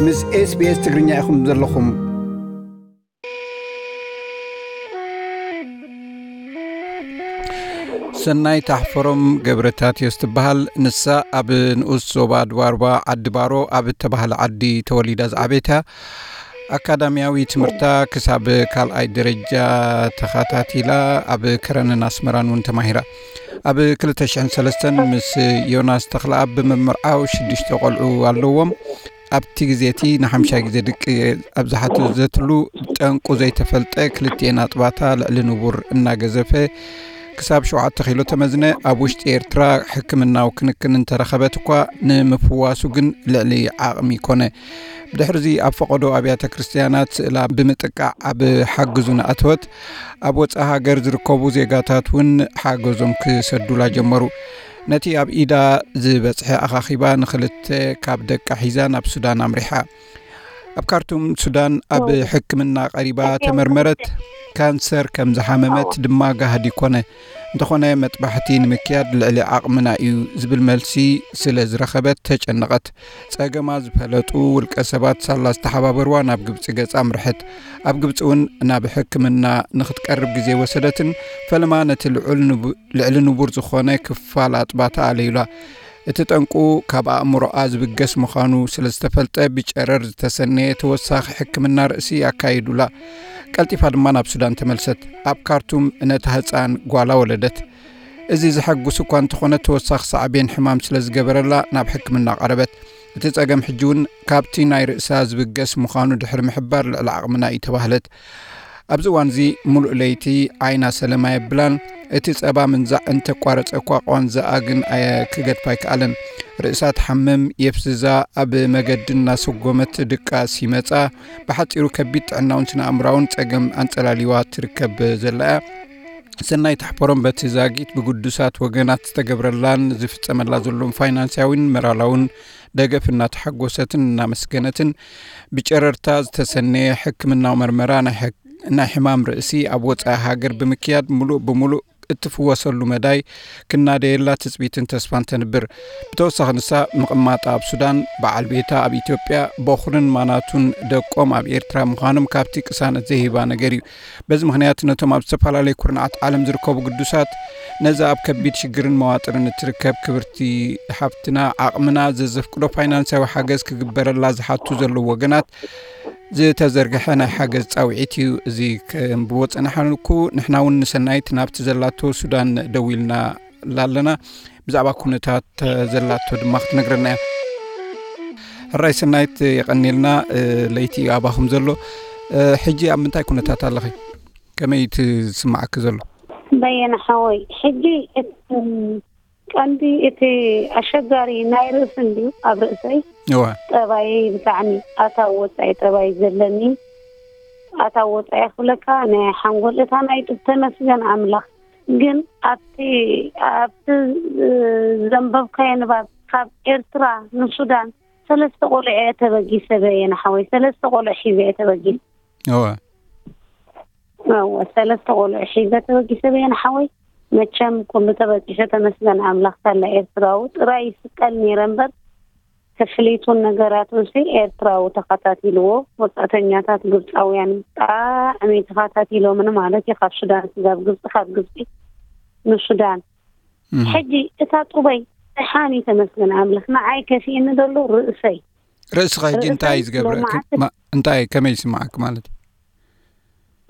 ምስ SBS ትግርኛ ኢኹም ዘለኹም። ሰናይ ታሕፈሮም ገብረታትዮስ ትበሃል። ንሳ ኣብ ንኡስ ዞባ ድባርባ ዓዲ ባሮ ኣብ እተባህለ ዓዲ ተወሊዳ ዝዓበየት እያ። ኣካዳሚያዊ ትምህርታ ክሳብ ካልኣይ ደረጃ ተኸታቲላ፣ ኣብ ከረንን ኣስመራን እውን ተማሂራ። ኣብ ክልተ ሽሕን ሰለስተን ምስ ዮናስ ተኽለኣብ ብምምርዓው ሽዱሽተ ቆልዑ ኣለዎም። ኣብቲ ግዜ እቲ ንሓምሻይ ግዜ ድቂ ኣብ ዝሓተተትሉ፣ ጠንቁ ዘይተፈልጠ ክልቲኤን ኣጥባታ ልዕሊ ንቡር እናገዘፈ ክሳብ ሸውዓተ ኪሎ ተመዝነ። ኣብ ውሽጢ ኤርትራ ሕክምናዊ ክንክን እንተረኸበት እኳ፣ ንምፍዋሱ ግን ልዕሊ ዓቕሚ ኮነ። ብድሕርዚ ኣብ ፈቐዶ ኣብያተ ክርስትያናት ስእላ ብምጥቃዕ ኣብ ሓግዙ ንኣተወት። ኣብ ወጻኢ ሃገር ዝርከቡ ዜጋታት እውን ሓገዞም ክሰዱላ ጀመሩ። ነቲ ኣብ ኢዳ ዝበጽሐ ኣኻኺባ ንኽልተ ካብ ደቃ ሒዛ ናብ ሱዳን ኣምሪሓ። ኣብ ካርቱም ሱዳን ኣብ ሕክምና ቀሪባ ተመርመረት። ካንሰር ከም ዝሓመመት ድማ ጋህዲ ኮነ። እንተኾነ መጥባሕቲ ንምክያድ ልዕሊ ዓቕምና እዩ ዝብል መልሲ ስለ ዝረኸበት ተጨነቐት። ጸገማ ዝፈለጡ ውልቀ ሰባት ሳላ ዝተሓባበርዋ ናብ ግብጺ ገጻ ኣምርሐት። ኣብ ግብጺ እውን ናብ ሕክምና ንኽትቀርብ ግዜ ወሰደትን ፈለማ ነቲ ልዑል ንቡ-፣ ልዕሊ ንቡር ዝኾነ ክፋል ኣጥባታ ኣለዩላ። እቲ ጠንቁ ካብ ኣእምሮኣ ዝብገስ ምዃኑ ስለ ዝተፈልጠ፣ ብጨረር ዝተሰነየ ተወሳኺ ሕክምና ርእሲ ኣካይዱላ። ቀልጢፋ ድማ ናብ ሱዳን ተመልሰት። ኣብ ካርቱም ነታ ህጻን ጓላ ወለደት። እዚ ዘሐጉስ እኳ እንተኾነ፣ ተወሳኺ ሳዕቤን ሕማም ስለ ዝገበረላ ናብ ሕክምና ቀረበት። እቲ ጸገም ሕጂ እውን ካብቲ ናይ ርእሳ ዝብገስ ምዃኑ ድሕሪ ምሕባር ልዕሊ ዓቕምና እዩ ተባህለት። ኣብዚ እዋን እዚ ሙሉእ ለይቲ ዓይና ሰለማ የብላን። እቲ ጸባ ምንዛዕ እንተቋረጸ እኳ፣ ቋንዛኣ ግን ኣየ-፣ ክገድፋ ኣይከኣለን። ርእሳ ትሓምም፣ የፍዝዛ፣ ኣብ መገዲ እናሰጎመት ድቃስ ይመጻ። ብሓጺሩ ከቢድ ጥዕናውን ስነ ኣእምራውን ጸገም ኣንጸላሊዋ ትርከብ ዘላ እያ። ሰናይት ኣሕፈሮም በቲ ዛጊት ብግዱሳት ወገናት ዝተገብረላን ዝፍጸመላ ዘሎን ፋይናንስያዊን መራላውን ደገፍ እናተሓጎሰትን እናመስገነትን፣ ብጨረርታ ዝተሰነየ ሕክምናዊ መርመራ ናይ ሕክ-፣ ናይ ሕማም ርእሲ ኣብ ወጻኢ ሃገር ብምክያድ፣ ምሉእ ብምሉእ እትፍወሰሉ መዳይ ክናደየላ ትጽቢትን ተስፋን ተንብር። ብተወሳኺ፣ ንሳ ምቕማጣ ኣብ ሱዳን፣ በዓል ቤታ ኣብ ኢትዮጵያ፣ በኹርን ማናቱን ደቆም ኣብ ኤርትራ ምዃኖም ካብቲ ቅሳነት ዘይህባ ነገር እዩ። በዚ ምኽንያት፣ ነቶም ኣብ ዝተፈላለዩ ኩርናዓት ዓለም ዝርከቡ ግዱሳት፣ ነዛ ኣብ ከቢድ ሽግርን መዋጥርን እትርከብ ክብርቲ ሓብትና፣ ዓቕምና ዘዘፍቅዶ ፋይናንሳዊ ሓገዝ ክግበረላ ዝሓቱ ዘለዉ ወገናት ዝተዘርግሐ ናይ ሓገዝ ጻውዒት እዩ። እዚ ከንብቦ ጸናሕናልኩ። ንሕና እውን ንሰናይት ናብቲ ዘላቶ ሱዳን ደዊልና ኣለና። ብዛዕባ ኩነታት ዘላቶ ድማ ክትነግረና እያ። ሕራይ ሰናይት፣ የቐንየልና። እ፣ ለይቲ እዩ ኣባኹም ዘሎ። እ፣ ሕጂ ኣብ ምንታይ ኩነታት ኣለኺ? ከመይ እዩ እቲ ዝስምዓኪ ዘሎ? በየነ ሓወይ፣ ሕጂ እቲ ቀንዲ እቲ ኣሸጋሪ ናይ ርእሲ እንድዩ፣ ኣብ ርእሰይ እዋ። ጠባየይ ብጣዕሚ ኣታዊ ወጻኢ ጠባይ ዘለኒ። ኣታዊ ወጻኢ ክብለካ፣ ናይ ሓንጎል፣ እታ ናይ ጡብ፣ ተመስገን ኣምላኽ። ግን ኣብቲ፣ ኣብቲ ዘንበብካዮ ንባብ፣ ካብ ኤርትራ ንሱዳን ሰለስተ ቆልዑ እየ ተበጊሰ፣ በየነ ሓወይ፣ ሰለስተ ቆልዑ ሒዘ እየ ተበጊሰ። እወ። እወ፣ ሰለስተ ቆልዑ ሒዘ ተበጊሰ፣ በየነ ሓወይ። መቸም ኩሉ ተበጊሰ፣ ተመስገን ኣምላኽ፣ ሳላ ኤርትራዊ ጥራይ ይስቀል ነይረ እምበር፣ ክፍሊቱን ነገራቱን ሲ ኤርትራዊ ተኸታቲልዎ። ወጻእተኛታት ግብጻውያን ብጣዕሚ ተኸታቲሎምን ማለት እዩ፣ ካብ ሱዳን ስጋብ ግብጺ፣ ካብ ግብጺ ንሱዳን። እም። ሕጂ እታ ጡበይ ደሓን እዩ፣ ተመስገን ኣምላኽ። ንዓይ ከፊእኒ ዘሎ ርእሰይ። ርእስኻ ሕጂ እንታይ እዩ ርእሰይ ዝገብረኪ? ሎማዓንቲ ማ-፣ እንታይ፣ ከመይ ይስምዓኪ ማለት እዩ?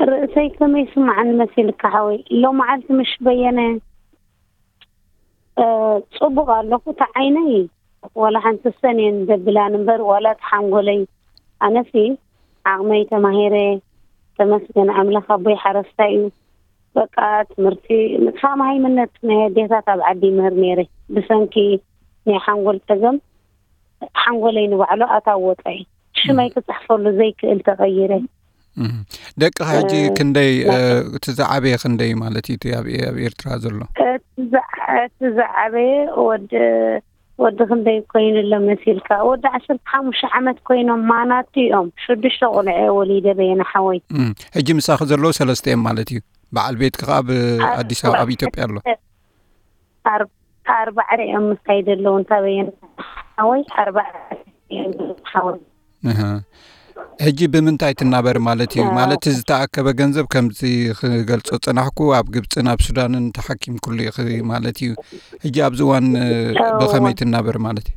ርእሰይ ከመይ ይስምዓኒ መሲልካ ሓወይ? ሎማዓልቲ ምሽ በየነ፣ እ፣ ጽቡቕ ኣለኹ። እታ ዓይነይ ዋላ ሓንቲ ሰኔን ዘብላን እምበር፣ ዋላ እቲ ሓንጎለይ፣ ኣነሲ ዓቕመይ ተማሂረ፣ ተመስገን ኣምላኽ፣ ኣቦይ ሓረስታይ እዩ። በቃ ትምህርቲ ምጥፋእ መሃይምነት፣ ናይ ኣዴታት ኣብ ዓዲ ይምህር ነይረ። ብሰንኪ ናይ ሓንጎል ጸገም፣ ሓንጎለይ ንባዕሉ ኣታዊ ወጻኢ፣ ሽመይ እም። ክጽሕፈሉ ዘይክእል ተቐይረ። እም። ደቅኻ ሕጂ እ፣ ክንደይ፣ እ፣ ናተይ። እቲ ዝዓበየ ክንደይ ማለት እዩ፣ እቲ ኣብ፣ ኣብ ኤርትራ ዘሎ? እቲ ዝዓ-፣ እቲ ዝዓበየ ወዲ፣ ወዲ ክንደይ ኮይኑ ኣሎ መሲልካ? ወዲ ዓሰርተ ሓሙሽተ ዓመት ኮይኖም ማናቱ እዮም። ሽዱሽተ ቆልዑ እየ ወሊደ በየነ ሓወይ። እም። ሕጂ ምሳኺ ዘለዉ ሰለስተ እዮም ማለት እዩ። በዓል ቤትኪ ከኣ ኣብ ኣብ ኣዲስ ኣበባ፣ ኣብ ኣርባዕተ ኢትዮጵያ ኣሎ። ኣር-፣ ኣርባዕተ እዮም ምሳይ ዘለዉ፣ እንታ በየነ ሓወይ፣ ኣርባዕተ እዮም ሓወይ። እህ። ሕጂ ብምንታይ ትናበር ማለት እዩ? ማለት ዝተኣከበ ገንዘብ ከምዚ ክገልጾ ጸናሕኩ፣ ኣብ ግብጽን ኣብ ሱዳንን ተሓኪምኩሉ ኢኺ ማለት እዩ። ሕጂ ኣብዚ እዋን፣ እ፣ እወ። ብኸመይ ትናበር ማለት እዩ?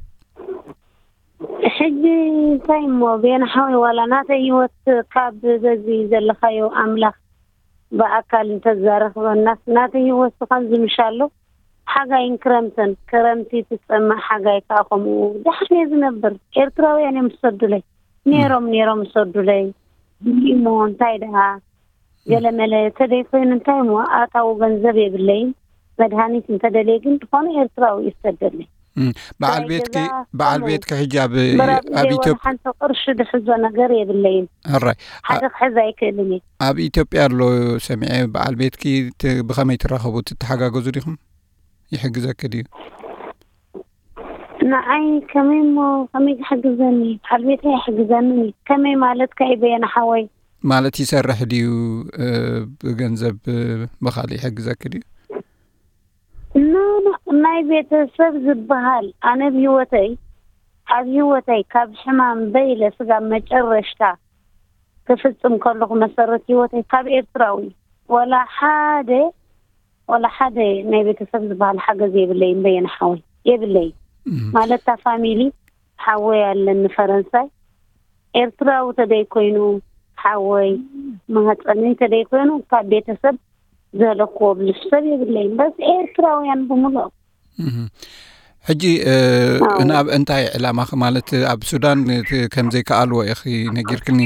ሕጂ እንታይ እሞ፣ ቤና ሓወይ፣ ዋላ ናተይ ህይወት ካብ በዚ ዘለኻዮ ኣምላኽ ብኣካል እንተዛረኽበናስ፣ ናተይ ህይወት ከምዚ ምሻሎ፣ ሓጋይን ክረምትን፣ ክረምቲ ትጸምእ፣ ሓጋይ ከኣ ከምኡ። ደሓን እየ ዝነብር። ኤርትራውያን እዮም ዝሰዱለይ። ነይሮም፣ ነይሮም ዝሰዱለይ። እሞ እንታይ ደኣ፣ ገለመለ ተደይ ኮይኑ እንታይ እሞ፣ ኣታዊ ገንዘብ የብለይን። መድሃኒት እንተደልየ ግን ዝኾነ ኤርትራዊ እዩ ዝሰደለይ። እም፣ በዓል ክራይ ቤትኪ፣ ገዛ በዓል ከምኡ። ቤትኪ ሕጂ ኣብ፣ ምራብ ኣብ ኢትዮጵያ ዋላ ሓንቲ ቅርሺ ድሕዞ ነገር የብለይን። ሕራይ። ሓደ ክሕዝ ኣይክእልን እየ። ኣብ ኢትዮጵያ ኣሎ ሰሚዐ፣ በዓል ቤትኪ ት-፣ ብኸመይ ትራኸቡ? ትተሓጋገዙ ዲኹም? ይሕግዘኪ ድዩ? ንዓይ ከመይ እሞ፣ ከመይ ክሕግዘኒ? በዓል ቤተይ ኣይሕግዘንን እዩ። ከመይ ማለት ከ በየነ ሓወይ? ማለት ይሰርሕ ድዩ? እ፣ ብገንዘብ፣ እ፣ ብኻልእ ይሕግዘኪ ድዩ? ኖ፣ ኖ፣ ናይ ቤተሰብ ዝበሃል፣ ኣነ ብህይወተይ፣ ኣብ ህይወተይ ካብ ሕማም በይለ ስጋብ መጨረሽታ ክፍጽም ከለኹ፣ መሰረት ህይወተይ ካብ ኤርትራዊ፣ ወላ ሓደ፣ ወላ ሓደ ናይ ቤተሰብ ዝበሃል ሓገዝ የብለይን፣ በየነ ሓወይ፣ የብለይን። እም። ማለት፣ እታ ፋሚሊ፣ ሓወይ ኣለኒ ፈረንሳይ፣ ኤርትራዊ ተደይ ኮይኑ፣ ሓወይ፣ ማህጸነይ ተደይ ኮይኑ፣ ካብ ቤተሰብ ዘለክዎ ብዙሕ ሰብ የብለይን። በስ ኤርትራውያን ብምልኦም። እህ። ሕጂ፣ እ፣ ኣዎ። ናብ እንታይ ዕላማኺ ማለት ኣብ ሱዳን እቲ ከም ዘይከኣልዎ ኢኺ ነጊርክኒ።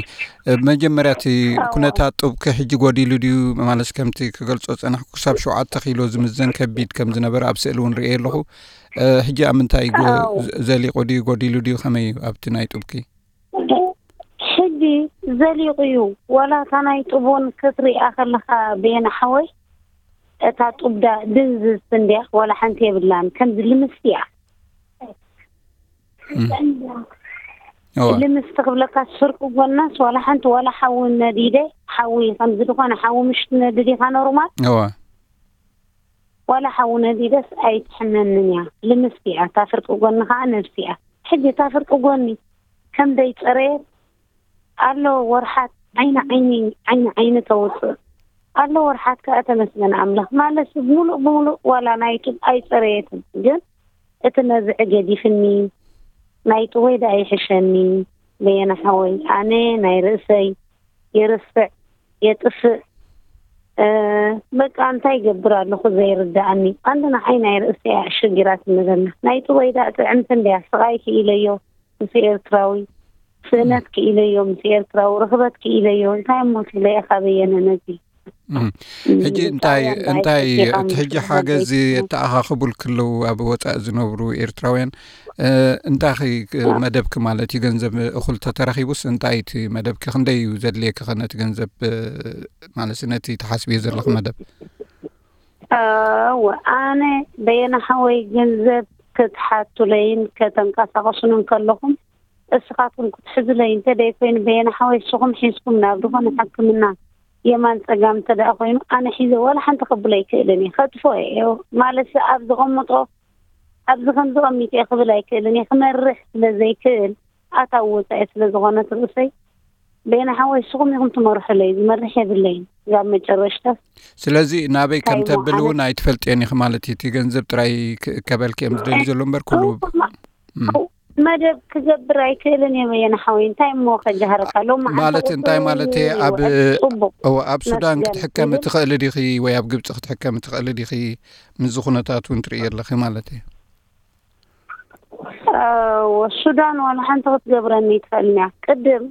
እ፣ መጀመርያ እቲ ኣዎ። ኩነታት ጡብኪ ሕጂ ጎዲሉ ድዩ? ማለት ከምቲ ክገልጾ ጸናሕኩ ክሳብ ሸውዓተ ኪሎ ዝምዘን ከቢድ ከም ዝነበረ ኣብ ስእሊ እውን ርእየ ኣለኹ። እ፣ ሕጂ ኣብ ምንታይ ጎ-፣ ኣዎ። ዘ-፣ ዘሊቑ ድዩ? ጎዲሉ ድዩ? ከመይ እዩ ኣብቲ ናይ ጡብኪ? ሕጂ ዘሊቑ እዩ። ዋላ እታ ናይ ጡብ እውን ክትሪኣ ከለኻ፣ በየነ ሓወይ፣ እታ ጡብ ዳ ድንዝዝቲ እንድያ፣ ዋላ ሓንቲ የብላን። ከምዚ ልምስቲ እያ። እም። እዋ። ልምስቲ ክብለካ፣ ስርቂ ጎናስ ዋላ ሓንቲ፣ ዋላ ሓዊ ነዲደ፣ ሓዊ ከምዚ ዝኾነ ሓዊ ምሽ ትነድድ ኢኻ ኖርማል። እዋ። ዋላ ሓዊ ነዲደስ ኣይትሕመንን እያ። ልምስቲ እያ። እታ ፍርቂ ጎኒ ኸዓ ነብሲ እያ። ሕጂ እታ ፍርቂ ጎኒ ከም ደይጸረየት ኣሎ ወርሓት ዓይኒ ዓይኒ፣ ዓይኒ ዓይኒ ተውጽእ ኣሎ ወርሓት ከኣ ተመስገን ኣምላኽ። ማለት ብምሉእ ብምሉእ ዋላ ናይ ጡብ ኣይጸረየትን፣ ግን እቲ ነዝዒ ገዲፍኒ፣ ናይ ጥወይ ደኣ ይሕሸኒ። በየነ ሓወይ፣ ኣነ ናይ ርእሰይ የርስዕ፣ የጥፍእ፣ እ፣ በቃ እንታይ ይገብር ኣለኹ ዘይርድኣኒ። ቀንዲ ንዓይ ናይ ርእሰይ እያ ሽግራት ንበልና። ናይ ጥወይ ደኣ ጥዕምቲ እንድያ፣ ስቓይ ክኢለዮ ምስ ኤርትራዊ፣ ስእነት ክኢለዮ ምስ ኤርትራዊ፣ ርኽበት ክኢለዮ። እንታይ እሞ ትብለየ ካበየነ ነዚ? እም። እም፣ ሕጂ እንታይ፣ ብጣዕሚ እንታይ፣ ኣባይ እቲ ሕጂ ተባባሪ ሓገዝ እዩ። የተኣኻኽቡልኪ ኣለዉ ኣብ ወጻኢ ዝነብሩ ኤርትራውያን? እ፣ እንታይ ኸ መደብኪ ማለት እዩ? ገንዘብ እኹል ተተረኺቡስ እንታይ እቲ መደብኪ? ክንደይ እዩ ዘድልየኪ ኸ ነቲ ገንዘብ፣ እ፣ ማለት ነቲ ትሓስብዮ ዘለኺ መደብ? እወ፣ ኣነ በየነ ሓወይ ገንዘብ ክትሓቱለይን ከተንቀሳቐሱን እንከለኹም፣ እስኻትኩም ክትሕዙለይ እንተ ደይኮይኑ፣ በየነ ሓወይ እስኹም ሒዝኩም ናብ ዝኾነ ሕክምና የማን ጸጋም እንተ ደኣ ኮይኑ፣ ኣነ ሒዘ ዋላ ሓንቲ ከብሎ ኣይክእልን እየ። ከጥፎ እየ። ማለት ኣብ ዝቐምጦ፣ ኣብዚ ከምዚ ቀሚጠ እየ ክብል ኣይክእልን እየ። ክመርሕ ስለ ዘይክእል፣ ኣታዊ ወጻኢ ስለ ዝኾነት ርእሰይ፣ በየነ ሓወይ እስኹም ኢኹም ትመርሑለይ፣ ዝመርሕ የብለይን። ክሳብ መጨረሽታ ስለዚ ናበይ እንታይ ከም እሞ ተብል ኣነ እውን ኣይትፈልጥዮን ኢኺ ማለት እዩ። እቲ ገንዘብ ጥራይ ክእከበልኪ እዮም ዝደልዩ ዘሎ እምበር ኩሉ እው፣ እም። መደብ ክገብር ኣይክእልን እየ በየነ ሓወይ። እንታይ እሞ ከጃህረካ? ሎሚ ዓንተ ማለት እንታይ ቁጽሪ ማለት እየ? ኣብ፣ ውዕል ጽቡቕ እወ፣ ኣብ ሱዳን መስገን ክትሕከሚ ይብል። ትኽእሊ ዲኺ ወይ ኣብ ግብጺ ክትሕከሚ ትኽእሊ ዲኺ? ምስዚ ኩነታት እውን ትርእዮ ኣለኺ ማለት እዩ። እወ፣ ሱዳን ዋላ ሓንቲ ክትገብረኒ ኣይትኽእልን እያ። ቅድም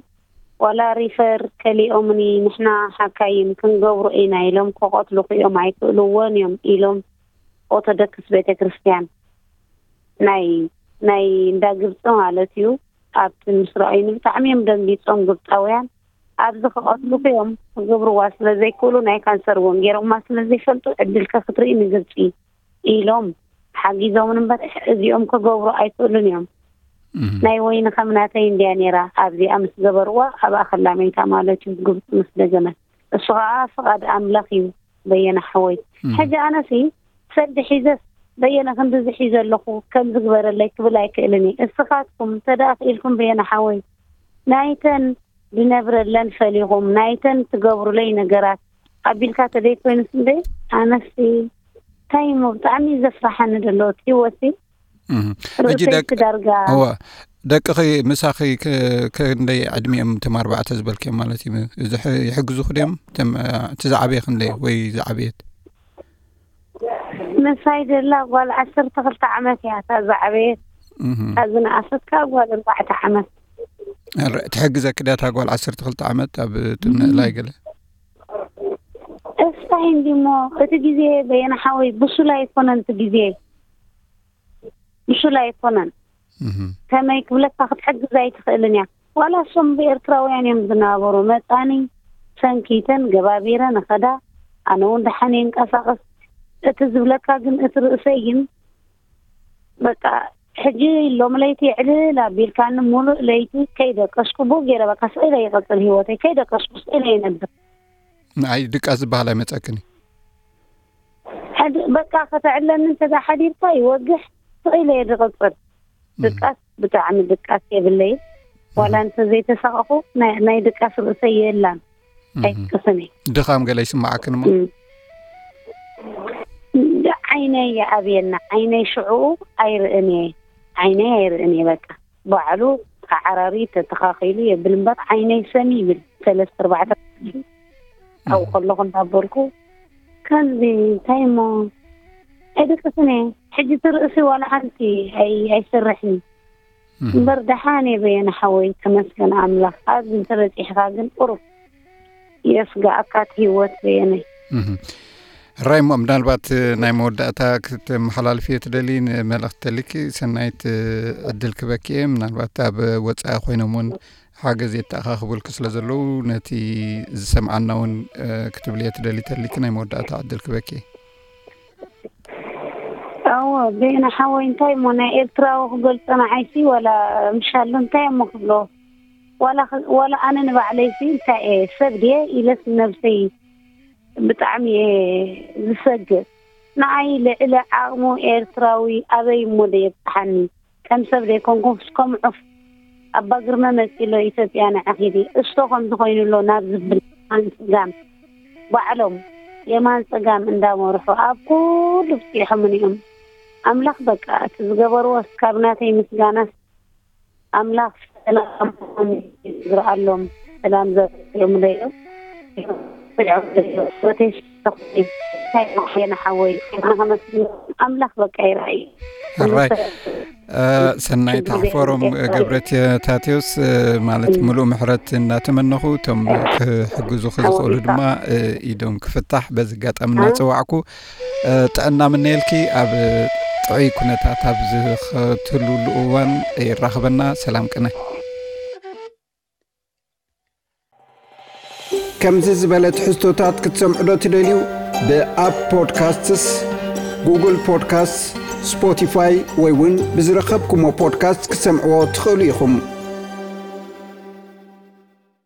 ዋላ ሪፈር ከሊኦምኒ፣ ንሕና ሓካይም ክንገብሮ ኢና ኢሎም፣ ክቐትሉኺ እዮም፣ ኣይክእልዎን እዮም ኢሎም። ኦርቶዶክስ ቤተክርስትያን ናይ፣ ናይ እንዳ ግብጺ ማለት እዩ። ኣብቲ ምስ ረኣዩኒ ብጣዕሚ እዮም ደንጊጾም ግብጻውያን። ኣብዚ ክቐትሉኺ እዮም፣ ክገብርዋ ስለ ዘይክእሉ፣ ናይ ካንሰር እውን ገይሮማ ስለ ዘይፈልጡ፣ ዕድልከ ክትርኢ ንግብጺ ኢሎም ሓጊዞምን እምበር፣ እዚኦም ክገብሩ ኣይክእሉን እዮም። እም። ናይ ወይኒ ከም ናተይ እንድያ ነይራ፣ ኣብዚኣ ምስ ገበርዋ፣ ኣብኣ ከላ መይታ ማለት እዩ፣ ግብጺ ምስ ደገመት። እሱ ኸኣ ፍቓድ ኣምላኽ እዩ፣ በየነ ሓወይ። እም። ሕጂ ኣነሲ ሰልዲ ሒዘስ፣ በየነ ክንድዚ ሒዘ ኣለኹ፣ ከምዚ ግበረለይ ክብል ኣይክእልን እየ። እስኻትኩም እንተ ደኣ ክኢልኩም፣ በየነ ሓወይ፣ ናይተን ዝነብረለን ፈሊኹም፣ ናይተን ትገብሩለይ ነገራት ኣቢልካ ተደይ ኮይኑስ እንደ ኣነሲ እንታይ እሞ ብጣዕሚ ዘፍራሓኒ ዘሎ እቲ ህይወት እህ። ሕጂ ርእሰይ ደቅ ዳርጋ እወ፣ ደቅኺ ምሳኺ ክ- ክንደይ ዕድሚኦም እቶም ኣርባዕተ ዝበልክዮም ማለት እዩ? እዚ ሕ- ይሕግዙኹ ድዮም? እቶም፣ እ፣ እቲ ዝዓበየ ክንደይ ወይ ዝዓበየት? ምሳይ ዘላ ጓል ዓሰርተ ክልተ ዓመት እያ፣ እታ ዝዓበየት። እህ። እታ ዝነኣሰት ከዓ ጓል ኣርባዕተ ዓመት። ር- ትሕግዘኪ ድያ እታ ጓል ዓሰርተ ክልተ ዓመት ኣብ ትምእላይ ገለ? እስታይ እንዲሞ እቲ ግዜ በየና ሓወይ ብሱል ኣይኮነን። እቲ ግዜ ብሱል ኣይኮነን። እህ። ከመይ ክብለካ ክትሕግዝ ኣይትኽእልን እያ። ዋላ እሶም ብኤርትራውያን እዮም ዝናበሩ። መጻኒ ሰንኪተን ገባቢረ ንኸዳ ኣነ እውን ደሓን የንቀሳቐስ። እቲ ዝብለካ ግን እቲ ርእሰይ ግን በቃ ሕጂ ሎም ለይቲ ዕልል ኣቢልካኒ ሙሉእ ለይቲ ከይደቀስኩ ብኡ ገይረ በቃ ስኢለ ይቐጽል ህይወተይ። ከይደቀስኩ ስኢለ ይነብር። ንዓይ ድቃስ ዝበሃል ኣይመጸክን እዩ። ሕድ- በቃ ከተዕለኒ እንተ ሓዲርካ ይወግሕ ስኢለ እየ ዝቐጽል። ድቃስ ብጣዕሚ ድቃስ የብለይ። ዋላ እንተ ዘይተሳቐኹ ናይ ናይ ድቃስ ርእሰይ የላን። ኣይትቅስኒ። ድኻም ገለ ይስማዓክን እሞ? ዓይነይ ይኣብየና። ዓይነይ ሽዑ ኣይርእን እየ። ዓይነይ ኣይርእን እየ። በቃ ባዕሉ ተዓራሪ ተተኻኺሉ የብል እምበር ዓይነይ ሰም ይብል። ሰለስተ ኣርባዕተ ኣብኡ ከለኹ እንዳበልኩ ከምዚ እንታይ እሞ ኣይደቅስን እየ። ሕጂ ትርእሲ ዋላ ሓንቲ ኣይ- ኣይሰርሕን እምበር ደሓን እየ በየነ ሓወይ፣ ተመስገን ኣምላኽ። ኣብዚ እንተበፂሕካ ግን ቁሩብ የስጋኣካ እቲ ህይወት በየነ። ራይ እሞ ምናልባት ናይ መወዳእታ ክትመሓላልፍዮ ትደሊ መልእኽቲ ተሊኪ ሰናይት ዕድል ክበኪ እየ። ምናልባት ኣብ ወፃኢ ኮይኖም እውን ሓገዝ የተኣኻኽቡልኪ ስለ ዘለዉ ነቲ ዝሰምዓና እውን ክትብልዮ ትደሊ ተሊኪ ናይ መወዳእታ ዕድል ክበኪ እየ። ኣዎ በየነ ሓወይ እንታይ እሞ ናይ ኤርትራዊ ክገልፆ ንዓይሲ ዋላ ምሻሎ እንታይ እሞ ክብሎ ዋላ ኣነ ንባዕለይሲ እንታይ እየ ሰብ ድየ ኢለስ ነብሰይ ብጣዕሚ እየ ዝሰግእ። ንዓይ ልዕሊ ዓቕሙ ኤርትራዊ ኣበይ እሞ ዶ የብጽሓኒ? ከም ሰብ ዘይኮንኩስ ከም ዑፍ ኣባ ግርመ መጺሎ ኢትዮጵያ ንዓኺ ድዩ እሶ ከምዚ ኮይኑሎ ናብ ዝብል የማን ጸጋም ባዕሎም የማን ጸጋም እንዳመርሑ ኣብ ኩሉ ብጺሖምን እዮም። ኣምላኽ በቃ እቲ ዝገበርዎ እስካብ ናተይ ምስጋናስ ኣምላኽ ሰላም ዝረኣሎም ሰላም ዘርእዮም ለዮም ሮቴሽን ሓወይ ኣምላኽ በቃ ይረኣዩ። ሕራይ ሰናይ ታሕፈሮም ገብረታቴዎስ ማለት ምሉእ ምሕረት እናተመነኹ እቶም ክሕግዙ ክዝኽእሉ ድማ ኢዶም ክፍታሕ በዚ ኣጋጣሚ እናፀዋዕኩ ጥዕና ምነየልኪ ኣብ ጥዑይ ኩነታት ኣብ ዝኸትሉሉ እዋን ይራኽበና። ሰላም ቅነ። ከምዚ ዝበለ ትሕዝቶታት ክትሰምዑ ዶ ትደልዩ? ብኣፕ ፖድካስትስ፣ ጉግል ፖድካስት፣ ስፖቲፋይ ወይ እውን ብዝረኸብኩሞ ፖድካስት ክትሰምዕዎ ትኽእሉ ኢኹም።